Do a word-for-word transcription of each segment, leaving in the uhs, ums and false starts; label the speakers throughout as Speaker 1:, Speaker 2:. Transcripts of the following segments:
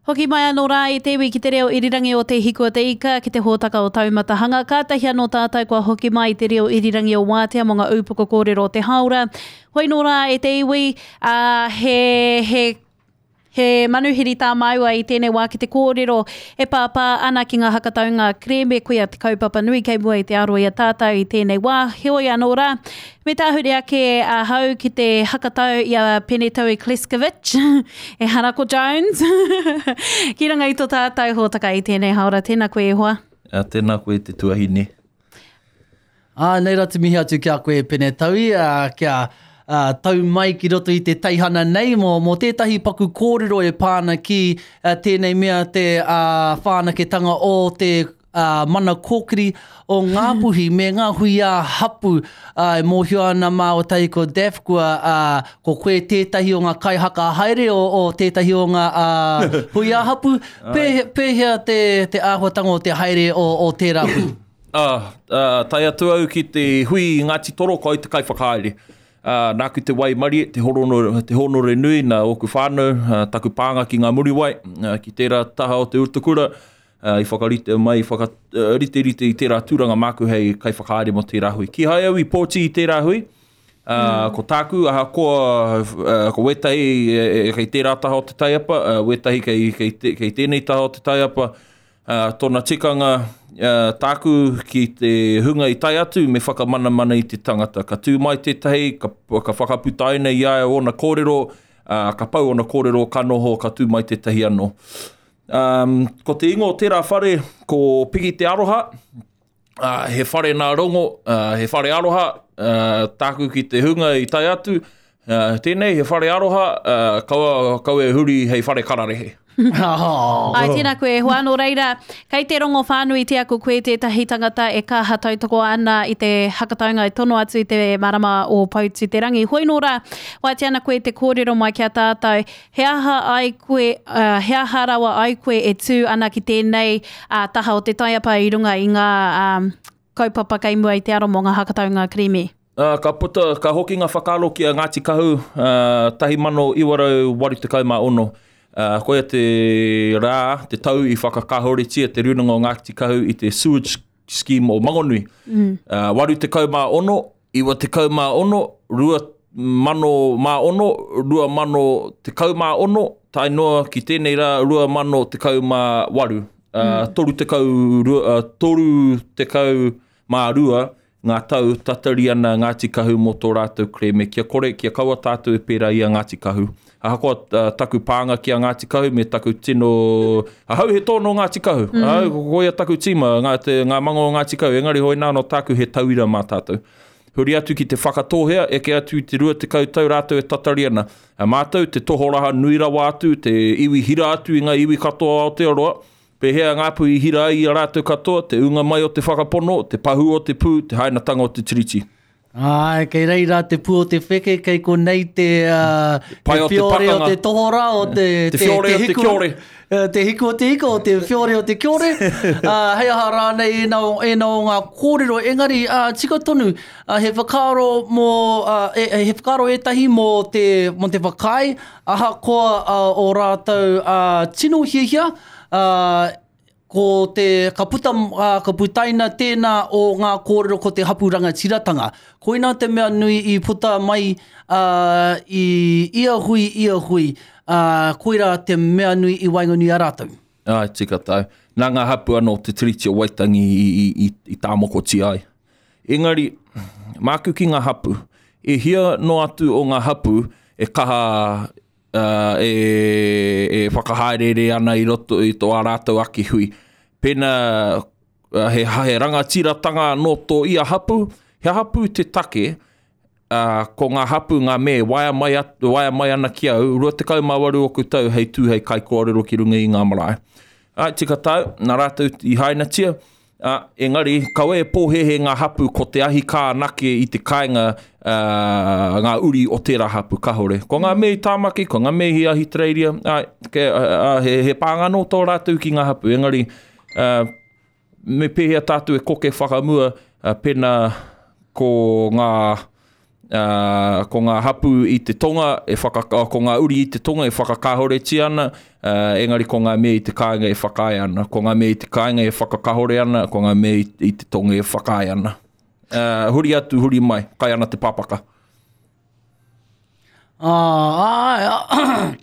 Speaker 1: Hoki mai anō rā i te iwi ki te reo irirangi o Te Hiku o Te Ika, ki te hōtaka o Taumata Hanga. Kātahi anō tātou kua hoki mai i te reo irirangi o Wātea mō ngā ūpoko kōrero o te hāora. Hoi nō rā e te iwi, ā, he, he, he manuhiri tā māua i tēnei wā ki te kōrero e pāpā ana ki ngā hakataunga kerēme koia te kaupapa nui kei mua i te aro i a tātou i tēnei wā. Heoi anō rā, me tāhure ake ahau ki te hakatau i a Penetaui Kleskovic, e Harako Jones, ki runga i tō tātou hōtaka i tēnei hāora. Tēnā koe e hoa.
Speaker 2: A, tēnā koe te tuahine.
Speaker 3: Ā, nei rā te mihi atu ki a koe Penetaui, ā, kia ā, tau mai ki roto i te teihana nei mō, mō tētahi paku kōrero e pā ana ki ā, tēnei mea te ā, whānaketanga o te ā, mana kōkiri o Ngāpuhi me ngā hui ā-hapu. Ā, e mōhio ana māua tahi ko Daph, kua, ā, ko koe tētahi o ngā kaihaka haere o, o tētahi o ngā ā, hui ā-hapu. Pēhea, pēhea te, te āhuatanga o te haere o, o tērā hui?
Speaker 2: Ā, ā, tae atu au ki te hui i Ngāti Toro, ko au te kaiwhakahaere. Ā, nāku te waimarie, te horono, te hōnore nui nā ōku whānau, ā, taku pānga ki ngā Muriwai, ā, ki tērā taha o te Utakura, ā, i whakarite mai, i whakariterite i tērā tūranga māku hei kaiwhakahaere mō tērā hui. Kīhai au i pōti i tērā hui, ā, mm. ko tāku, ahakoa, ā, ko wētahi e, e, kei tērā taha o te taiapa, ā, wētahi kei, kei, te, kei tēnei taha o te taiapa, Uh, tōna tikanga, uh, tāku ki te hunga i tae atu me whakamanamana i te tangata. Ka tū mai tētahi, ka, ka whakaputaina i a ia ōna kōrero, uh, ka pau ōna kōrero, ka noho, ka tū mai tētahi anō. Um, ko te ingoa o tērā whare, ko Piki Te Aroha, uh, he whare nā Rongo, uh, he whare aroha, uh, tāku ki te hunga i tae atu, uh, tēnei he whare aroha, uh, kaua, kaua e huri hei whare kararehe.
Speaker 1: Ai, tēnā koe e hoa. Nō reira, kei te rongo whānuitia ko koe tētahi tangata e kaha tautoko ana i te hakataunga e tono atu i te marama o Poutū-te-rangi. Hoi nō rā, wātea ana koe te kōrero mai ki a tātou, he aha ai koe, uh, he aha rawa ai koe e tū ana ki tēnei uh, taha o te taiapa i runga i ngā um, kaupapa kei mua i te aro mō ngā hakataunga kerēme?
Speaker 2: Uh, ka puta, ka hoki ngā whakaaro ki a Ngāti Kahu, uh, tahi mano iwa rau waru tekau mā ono. Uh, koia te rā, te tau i whakakāhoretia te rūnanga o Ngāti Kahu i te sewage scheme o Mangonui.
Speaker 1: Mm.
Speaker 2: Uh, waru tekau mā ono, iwa tekau mā ono, rua mano mā ono, rua mano tekau mā ono, tae noa ki tēnei rā, rua mano tekau mā waru. Uh,
Speaker 1: Mm.
Speaker 2: toru tekau, rua, uh, toru tekau mā rua, ngā tau tatari ana Ngāti Kahu mō tō rātou kerēme, kia kore, kia kaua tātou e pērā i a Ngāti Kahu. Ahakoa, uh, taku pānga ki a Ngāti Kahu me taku tino... Ahau he tōno Ngāti Kahu.
Speaker 1: Mm.
Speaker 2: Ahau, ko koia taku tīma, ngā, te, ngā mango o Ngāti Kahu, engari hoi nā no tāku he tauira mā tātou. Huri atu ki te whakatōhea, eke atu i te rua tekau tau rātou e tatari ana. A mātou, te tohoraha nui rawa atu, te iwi hira atu i ngā iwi katoa o Aotearoa, pēhea ngā pū i hira ai i a rātou katoa, te ūnga mai o te whakapono, te pahū o te pū, te hainatanga o te tiriti.
Speaker 3: Ai, kei reira te pū o te wheke, kei konei te, uh,
Speaker 2: Pai
Speaker 3: te
Speaker 2: o te
Speaker 3: whiore o
Speaker 2: pakanga.
Speaker 3: te tohora, o te,
Speaker 2: Te whiore o te
Speaker 3: hiku,
Speaker 2: kiore.
Speaker 3: eh, te hiku o te ika, o te whiore o te kiore. Uh, hei aha rānei ēnā o, ēnā o ngā kōrero, engari uh, tika tonu, uh, he whakaaro mō, uh, e, he whakaaro ētahi mō te, mō te whakaae, ahakoa uh, o rātou uh, tino hiahia, uh, ko te, ka puta, uh, ka putaina tēnā o ngā kōrero ko te hapu rangatiratanga. Koina te mea nui i puta mai, uh, i ia hui, ia hui, uh, koira te mea nui i waenganui a rātou.
Speaker 2: Ai, tika tau. Nā ngā hapu anō te Tiriti o Waitangi i, i, i, i tāmokotia ai. Engari, māku ki ngā hapu, e hia noa atu o ngā hapu e kaha uh, e, e whakahaerere ana i roto i tō ā rātou ake hui. Pēnā uh, he, he rangatiratanga anō tō ia hapu, he hapu te take, uh, ko ngā hapu ngā me, waea mai, at, waea mai ana ki au, rua tekau mā waru oku tau hei tū hei kaikōrero ki runga i ngā marae. Ai, tika tau, nā rātou i hainatia, uh, engari, kaua e pōhehe ngā hapu ko te ahi kā anake i te kāinga, uh, ngā uri o tērā hapu, kahore. Ko ngā mea i Tāmaki, ko ngā mea i Ahitereiria, ai, ke, uh, uh, he, he pānga anō tō rātou ki ngā hapu, engari, uh, me pēhea tātou e koke whakamua, uh, pēnā ko ngā, Uh, ko ngā hapū i te tonga, e whaka, ko ngā uri i te tonga e whakakahoretia ana, uh, engari ko ngā mea i te kāinga e whakaae ana. Ko ngā mea i te kāinga e whakakahore ana, ko ngā mea i, i te tonga e whakaae ana. Uh, huri atu, huri mai, kai ana te papaka.
Speaker 3: Ah, ai,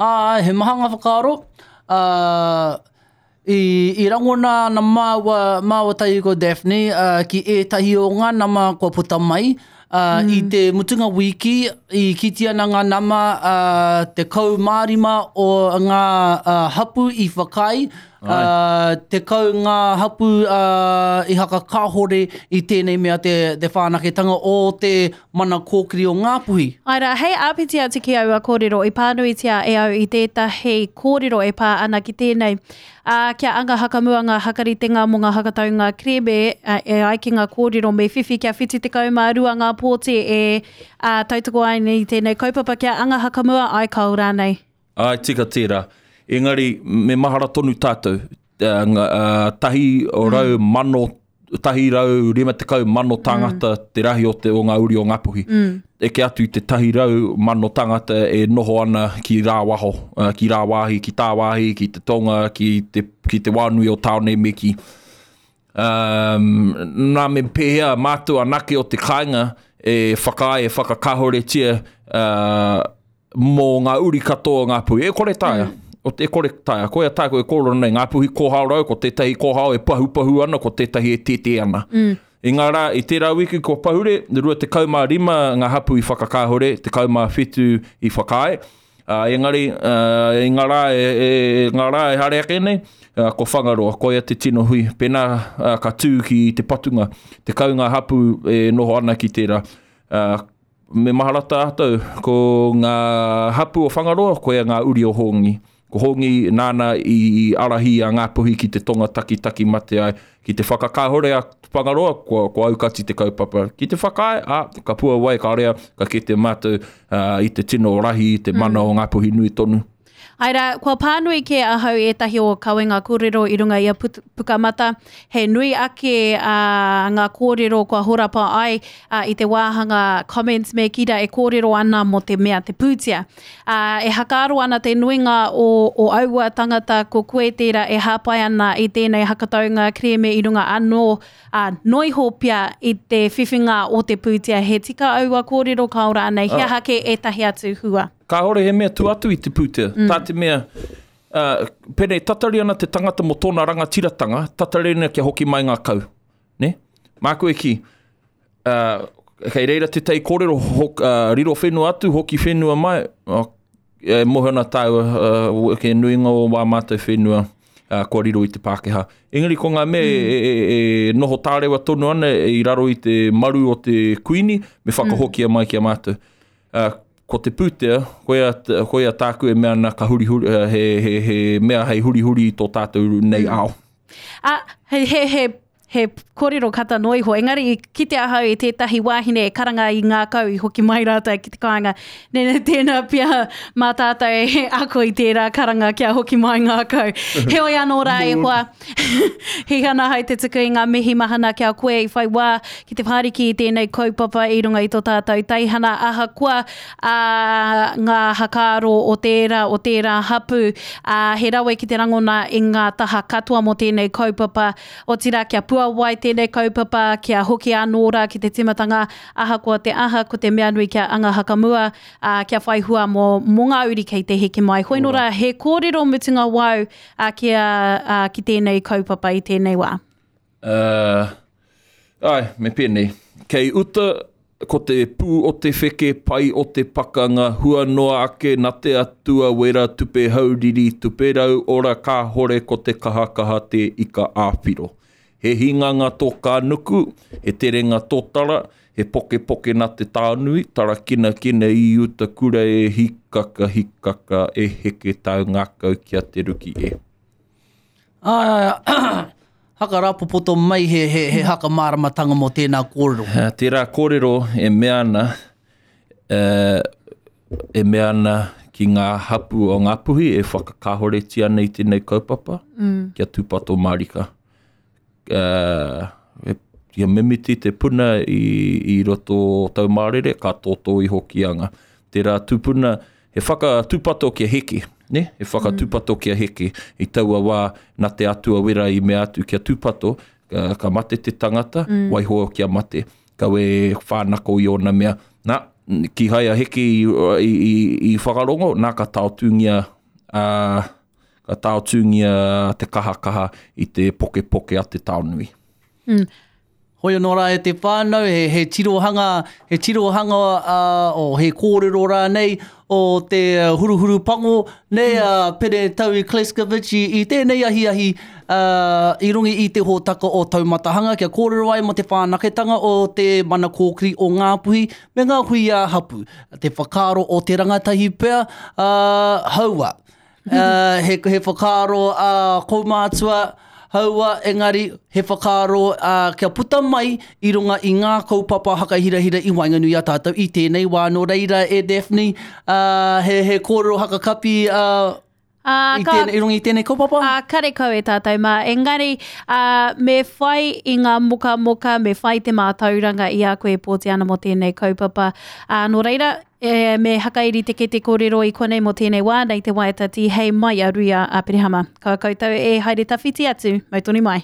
Speaker 3: ai, he maha ngā whakaaro. Uh, i, i rangona ana māua, māua tahi ko Daphne uh, ki ētahi o ngā nama kua puta mai. Uh, mm. I te mutunga wiki, i kiti ana ngā nama uh, te kau mārima o ngā uh, hapu i whakai, uh, te kau ngā hapu uh, i hakakahore i tēnei mea te, te whanaketanga o te mana kōkiri o Ngāpuhi.
Speaker 1: Ai rā, hei āpiti atu ki aua kōrero, i pānuitia e au i tētahi kōrero e pā ana ki tēnei. Uh, kia anga hakamua ngā hakaritenga mō ngā hakataunga kerēme, uh, e ai ki ngā kōrero me whiwhi kia whitu tekau mā rua ngā pōti e uh, tautoko ai nei tēnei kaupapa kia anga hakamua ai kao rānei.
Speaker 2: Ai, tika tērā. Engari, me mahara tonu tātou. Uh, uh, tahi o rau mm. mano, tahi rau rima tekau mano tāngata mm. te rahi o te o ngā uri o Ngāpuhi. Mm. Eke atu i te tahi rau mano tāngata e noho ana ki rāwaho, uh, ki rāwāhi, ki tāwāhi, ki te tonga, ki te, ki te wānui o tāone me ki. Um, nā me pēhea mātou anake o te kāinga e whakaae, e whakakahoretia uh, mō ngā uri katoa o Ngāpuhi. E kore taea. Mm. O te kore taea. Koia tāku e kōrero nei, Ngāpuhi kōhao rau, ko tētahi kōhao e pahupahu ana, ko tētahi e tētē ana. Mm. I ngā rā, i tērā wiki ko pahure, rua tekau mā rima ngā hapu i whakakāhore, tekau mā whitu i whakaae. Uh, engari, uh, i ngā rā e, e, ngā rā e hare ake nei, uh, ko Whangaroa, koia te tino hui. Pēnā uh, ka tū ki te patunga, tekau ngā hapu e noho ana ki tērā. Uh, me mahara tātou, ko ngā hapu o Whangaroa, koia ngā uri o Hongi. Ko Hongi nāna i arahi a Ngāpuhi ki te tonga takitaki mate ai, ki te whakakāhore a Whangaroa, kua, kua aukati te kaupapa. Ki te whakaae, a, ka pua wai, ka rea, ka kite mātou uh, i te tino rahi, i te mana mm. o Ngāpuhi nui tonu.
Speaker 1: Ai rā, kua pānui ke ahau ētahi o kawenga kōrero i runga i a Pukamata. He nui ake uh, ngā kōrero kua horapa ai uh, i te wāhanga comments me kira e kōrero ana mō te mea te pūtea. Uh, e hakaaro ana te nuinga o, o aua tangata ko koe tērā e hāpai ana i tēnei hakataunga kerēme i runga anō uh, noiho pia i te whiwhinga o te pūtea. He tika aua kōrero kao rānei, he aha ke ētahi atu hua?
Speaker 2: Kāhore he mea tu atu i te pūtea. Mm. Tā te mea, uh, pēnei tatari ana te tangata mō tōna rangatiratanga, tatari ana kia hoki mai ngā kau. Ne? Māku e ki, uh, kei reira te tei kōrero, hok, uh, riro whenua atu, hoki whenua mai, uh, e mohe ana tāua, uh, ke nuinga o wā mātou whenua, uh, kua riro i te Pākehā. Engari ko ngā mea mm. e, e, e noho tārewa tonu ana i raro i te maru o te kuini, me whakahokia mai ki a mātou. Uh, ko te pūtea, koia, koia tāku e mea ana ka huri huri, he, he, he mea hei huri huri i tō tātou nei ao.
Speaker 1: Ah, he, he, he, he kōrero kata noa iho, engari i kite ahau i tētahi wāhine e karanga i ngā kau i hoki mai rātou ki te kāinga. Nene, tēnā pia mā tātou e ako i tērā karanga kia hoki mai ngā kau. Heoi anō rā e hoa, he hana hai te tuku i ngā mihi mahana kia koe i whai wā ki te whāriki i tēnei kaupapa i runga i tō tātou teihana ahakoa a, ngā hakaaro o tērā, o tērā hapu. A, he rawe ki te rangona i ngā taha katoa mō tēnei kaupapa. Otirā kia puawai tēnei kaupapa, kia hoki anō rā ki te timatanga, ahakoa te aha, ko te mea nui kia anga hakamua, a, kia whai hua mō, mō ngā uri kei te heke mai. Hoi nō rā, he kōrero mutunga wau a, ki, a, a, ki tēnei kaupapa i tēnei wā.
Speaker 2: Uh, ai, me pēnei. Kei uta, ko te pū o te wheke, pai o te pakanga, hua noa ake, na te atua wera, tupe hauriri, tupe rau, ora kāhore ko te kahakaha te ika āwhiro. He hinganga tō kānuku, he terenga tōtara, he poke poke na te tānui, tarakina kina i uta kura e hikaka hikaka e heke tau ngākau kia te ruki e.
Speaker 3: Ah, haka rāpopoto mai he, he, he haka māramatanga mō tēnā kōrero.
Speaker 2: Tērā kōrero e mea ana, uh, e mea ana ki ngā hapu o Ngāpuhi e whakakahoretia ana i tēnei kaupapa, mm. kia tūpato mārika. Uh, e, Kia mimiti te puna i, i roto o Taumārere, ka tōtō i Hokianga. Tērā tupuna, he whakatūpato kia heke, ne? He whakatūpato kia heke. I taua wā, nā te atua wera i mea atu kia tūpato, ka, ka mate te tangata, mm. waiho kia mate. Kawe whānako i ōna mea. Nā, kīhai a Heke i, i, i, i whakarongo, nā ka taotūngia, ā, ka taotūngia te kahakaha i te pokepoke a te taonui.
Speaker 1: Mm.
Speaker 3: Hoi anō rā e te whānau, he, he tirohanga, he tirohanga uh, o he kōrero rānei o te huruhuru pango, nei a uh, Pere Taui Kleskovic i, i tēnei ahiahi uh, i runga i te hōtaka o Taumatahanga kia kōrero ai mō te whanaketanga o te mana kōkiri o Ngāpuhi me ngā hui a hapu. Te whakaaro o te rangatahi pea, uh, haua. Uh, he, he whakaaro a uh, kaumātua, haua, engari he whakaaro uh, kia puta mai i runga i ngā kaupapa hakahirahira i waenganui a tātou i tēnei wā. Nō reira e Daphne, uh, he, he kōrero hakakapi uh,
Speaker 1: Uh,
Speaker 3: i, tēnei, i runga i tēnei kaupapa?
Speaker 1: Uh, karekau e tātou mā. Engari, uh, me whai i ngā mokamoka, me whai te mātauranga i a koe e pōti ana mō tēnei kaupapa. Uh, nō reira, e, me hakairi te kete kōrero i konei mō tēnei wā, nei te waiata tihei mai a Ruia Aperehama. Ka koutou e haere tawhiti atu, mau tonu mai.